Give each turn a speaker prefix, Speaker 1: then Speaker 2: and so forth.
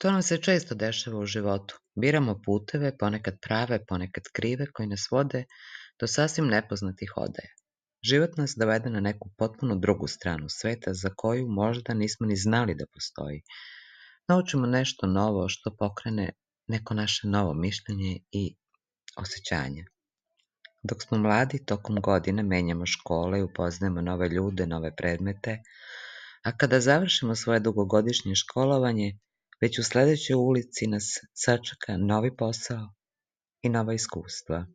Speaker 1: To nam se često dešava u životu. Biramo puteve, ponekad prave, ponekad krive, koji nas vode do sasvim nepoznatih odaja. Život nas dovede na neku potpuno drugu stranu sveta za koju možda nismo ni znali da postoji. Naučimo nešto novo što pokrene neko naše novo mišljenje i osjećanje. Dok smo mladi, tokom godina menjamo škole i upoznajemo nove ljude, nove predmete, a kada završimo svoje dugogodišnje školovanje, već u sledećoj ulici nas sačeka novi posao i nova iskustva.